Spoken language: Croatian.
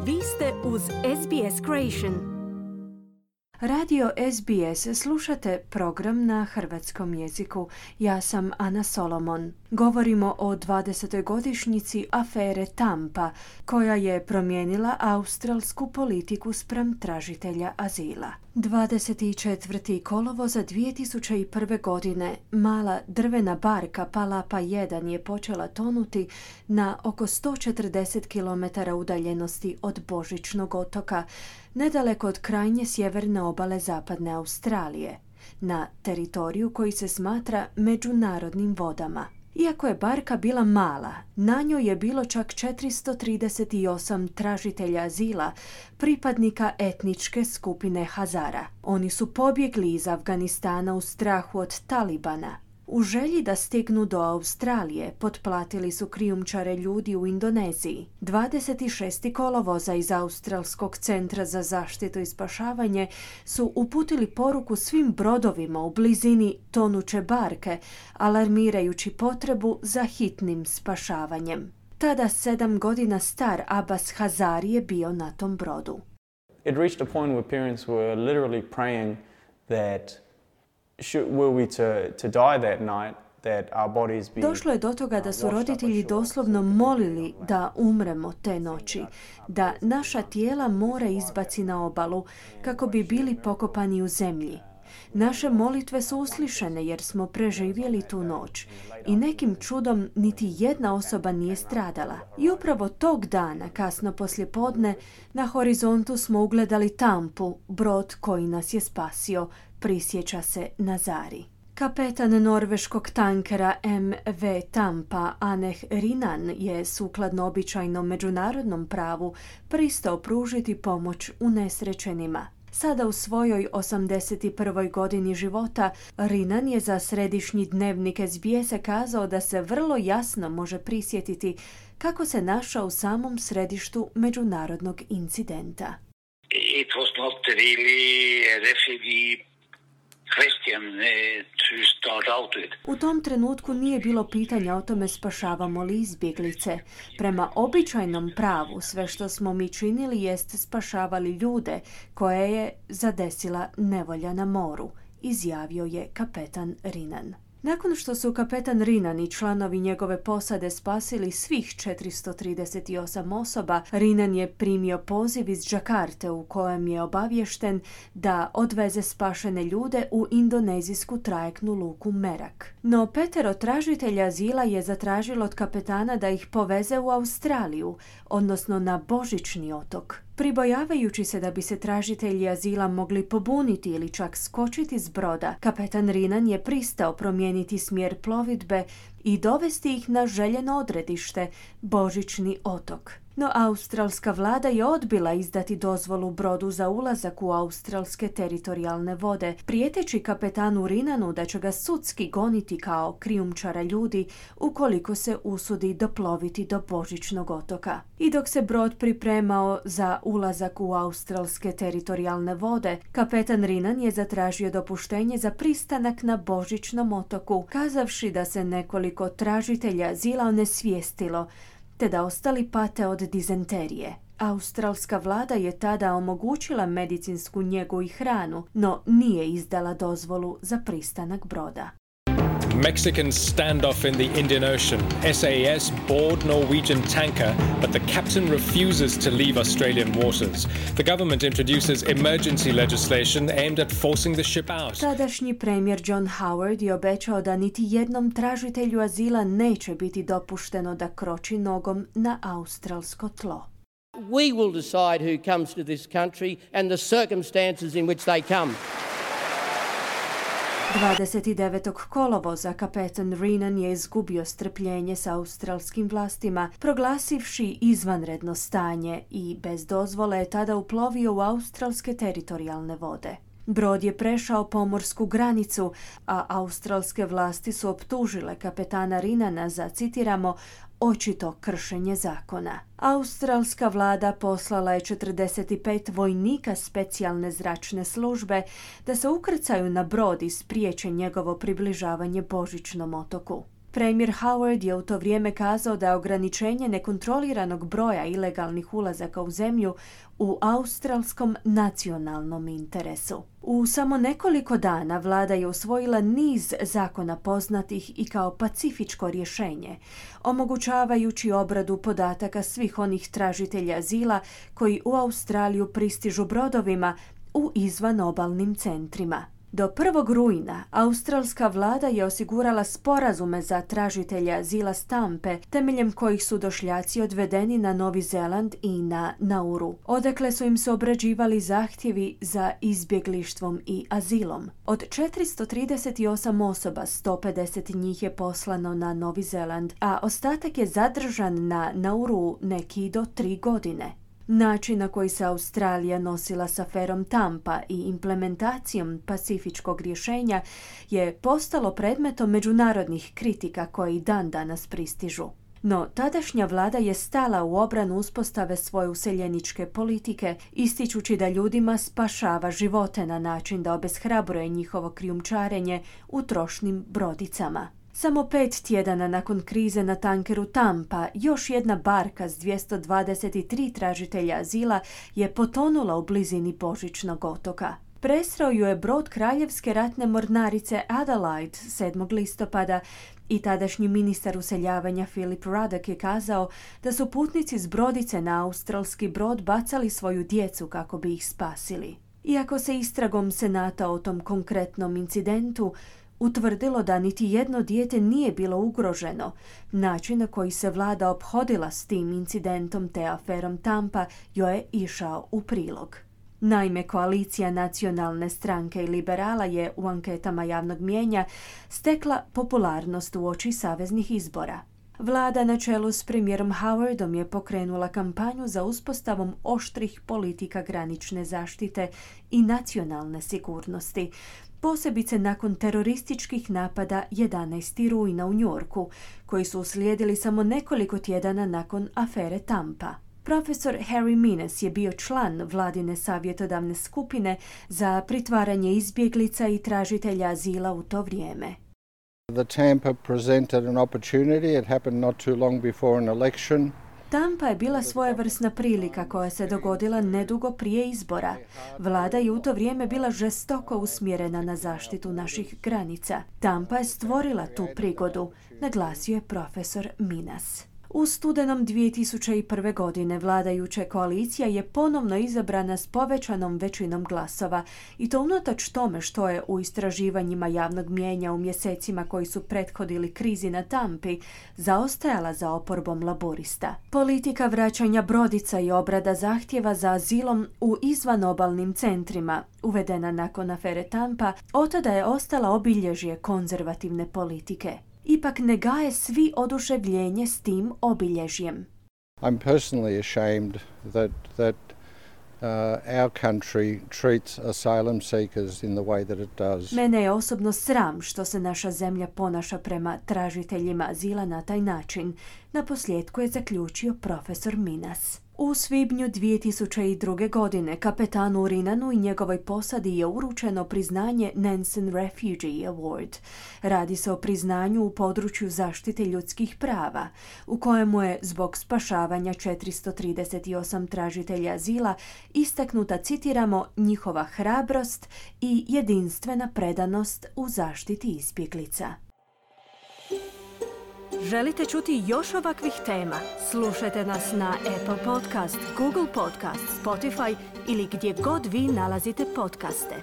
Vi ste uz SBS Creation. Radio SBS slušate program na hrvatskom jeziku. Ja sam Ana Solomon. Govorimo o 20. godišnjici afere Tampa, koja je promijenila australsku politiku spram tražitelja azila. 24. kolovoza 2001. godine mala drvena barka Palapa 1 je počela tonuti na oko 140 km udaljenosti od Božićnog otoka, nedaleko od krajnje sjeverne obale zapadne Australije, na teritoriju koji se smatra međunarodnim vodama. Iako je barka bila mala, na njoj je bilo čak 438 tražitelja azila, pripadnika etničke skupine Hazara. Oni su pobjegli iz Afganistana u strahu od Talibana. U želji da stignu do Australije, potplatili su krijumčare ljudi u Indoneziji. 26. kolovoza iz Australskog centra za zaštitu i spašavanje su uputili poruku svim brodovima u blizini tonuće barke, alarmirajući potrebu za hitnim spašavanjem. Tada 7 godina star Abbas Hazari je bio na tom brodu. It reached a point where parents were literally praying that were we to die that night, that our bodies be. Došlo je do toga da su roditelji doslovno molili da umremo te noći, da naša tijela more izbaci na obalu kako bi bili pokopani u zemlji. Naše molitve su uslišene jer smo preživjeli tu noć i nekim čudom niti jedna osoba nije stradala. I upravo tog dana, kasno poslijepodne, na horizontu smo ugledali Tampu, brod koji nas je spasio, prisjeća se Nazari. Kapetan norveškog tankera MV Tampa Aneh Rinan je sukladno običajnom međunarodnom pravu pristao pružiti pomoć unesrećenima. Sada u svojoj 81. godini života, Rinan je za središnji dnevnik SBS kazao da se vrlo jasno može prisjetiti kako se našao u samom središtu međunarodnog incidenta. It was not really a refugee question to start out with. U tom trenutku nije bilo pitanja o tome spašavamo li izbjeglice. Prema običajnom pravu sve što smo mi činili jest spašavali ljude koje je zadesila nevolja na moru, izjavio je kapetan Rinan. Nakon što su kapetan Rinan i članovi njegove posade spasili svih 438 osoba, Rinan je primio poziv iz Đakarte u kojem je obaviješten da odveze spašene ljude u indonezijsku trajektnu luku Merak. No 5 tražitelja azila je zatražilo od kapetana da ih poveze u Australiju, odnosno na Božićni otok. Pribojavajući se da bi se tražitelji azila mogli pobuniti ili čak skočiti s broda, kapetan Rinan je pristao promijeniti smjer plovidbe i dovesti ih na željeno odredište, Božićni otok. No australska vlada je odbila izdati dozvolu brodu za ulazak u australske teritorijalne vode, prijeteći kapetanu Rinanu da će ga sudski goniti kao krijumčara ljudi ukoliko se usudi doploviti do Božićnog otoka. I dok se brod pripremao za ulazak u australske teritorijalne vode, kapetan Rinan je zatražio dopuštenje za pristanak na Božićnom otoku, kazavši da se nekoliko tražitelja azila onesvijestilo, te da ostali pate od dizenterije. Australska vlada je tada omogućila medicinsku njegu i hranu, no nije izdala dozvolu za pristanak broda. Mexican standoff in the Indian Ocean. SAS board Norwegian tanker, but the captain refuses to leave Australian waters. The government introduces emergency legislation aimed at forcing the ship out. Tadašnji premijer John Howard je obećao da niti jednom tražitelju azila neće biti dopušteno da kroči nogom na australsko tlo. We will decide who comes to this country and the circumstances in which they come. 29. kolovoza kapetan Rinan je izgubio strpljenje s australskim vlastima, proglasivši izvanredno stanje i bez dozvole je tada uplovio u australske teritorijalne vode. Brod je prešao pomorsku granicu, a australske vlasti su optužile kapetana Rinana za, citiramo, očito kršenje zakona. Australska vlada poslala je 45 vojnika specijalne zračne službe da se ukrcaju na brod i spriječe njegovo približavanje Božićnom otoku. Premijer Howard je u to vrijeme kazao da je ograničenje nekontroliranog broja ilegalnih ulazaka u zemlju u australskom nacionalnom interesu. U samo nekoliko dana vlada je usvojila niz zakona poznatih i kao pacifičko rješenje, omogućavajući obradu podataka svih onih tražitelja azila koji u Australiju pristižu brodovima u izvanobalnim centrima. Do 1. rujna australska vlada je osigurala sporazume za tražitelje azila s Tampe, temeljem kojih su došljaci odvedeni na Novi Zeland i na Nauru, odakle su im se obrađivali zahtjevi za izbjeglištvom i azilom. Od 438 osoba, 150 njih je poslano na Novi Zeland, a ostatak je zadržan na Nauru neki do 3 godine. Način na koji se Australija nosila s aferom Tampa i implementacijom pacifičkog rješenja je postalo predmetom međunarodnih kritika koji dan danas pristižu. No, tadašnja vlada je stala u obranu uspostave svoje useljeničke politike, ističući da ljudima spašava živote na način da obeshrabruje njihovo krijumčarenje u trošnim brodicama. Samo 5 tjedana nakon krize na tankeru Tampa, još jedna barka s 223 tražitelja azila je potonula u blizini Božićnog otoka. Presreo ju je brod Kraljevske ratne mornarice Adelaide 7. listopada i tadašnji ministar useljavanja Philip Ruddock je kazao da su putnici s brodice na australski brod bacali svoju djecu kako bi ih spasili. Iako se istragom Senata o tom konkretnom incidentu utvrdilo da niti jedno dijete nije bilo ugroženo, način na koji se vlada ophodila s tim incidentom te aferom Tampa joj je išao u prilog. Naime, koalicija Nacionalne stranke i liberala je u anketama javnog mijenja stekla popularnost uoči saveznih izbora. Vlada na čelu s premijerom Howardom je pokrenula kampanju za uspostavom oštrih politika granične zaštite i nacionalne sigurnosti, posebice nakon terorističkih napada 11. rujna u Njorku, koji su uslijedili samo nekoliko tjedana nakon afere Tampa. Profesor Harry Minnis je bio član vladine savjetodavne skupine za pritvaranje izbjeglica i tražitelja azila u to vrijeme. The Tampa presented an opportunity. It happened not too long before an election. Tampa je bila svojevrsna prilika koja se dogodila nedugo prije izbora. Vlada je u to vrijeme bila žestoko usmjerena na zaštitu naših granica. Tampa je stvorila tu prigodu, naglasio je profesor Minnis. U studenom 2001. godine vladajuća koalicija je ponovno izabrana s povećanom većinom glasova i to unatoč tome što je u istraživanjima javnog mijenja u mjesecima koji su prethodili krizi na Tampi zaostajala za oporbom laborista. Politika vraćanja brodica i obrada zahtjeva za azilom u izvanobalnim centrima, uvedena nakon afere Tampa, otada je ostala obilježje konzervativne politike. Ipak ne gaje svi oduševljenje s tim obilježjem. I'm personally ashamed that our country treats asylum seekers in the way that it does. Mene je osobno sram što se naša zemlja ponaša prema tražiteljima azila na taj način, naposljetku je zaključio profesor Minnis. U svibnju 2002. godine kapetanu Rinanu i njegovoj posadi je uručeno priznanje Nansen Refugee Award. Radi se o priznanju u području zaštite ljudskih prava, u kojemu je zbog spašavanja 438 tražitelja azila istaknuta, citiramo, njihova hrabrost i jedinstvena predanost u zaštiti izbjeglica. Želite čuti još ovakvih tema? Slušajte nas na Apple Podcast, Google Podcast, Spotify ili gdje god vi nalazite podcaste.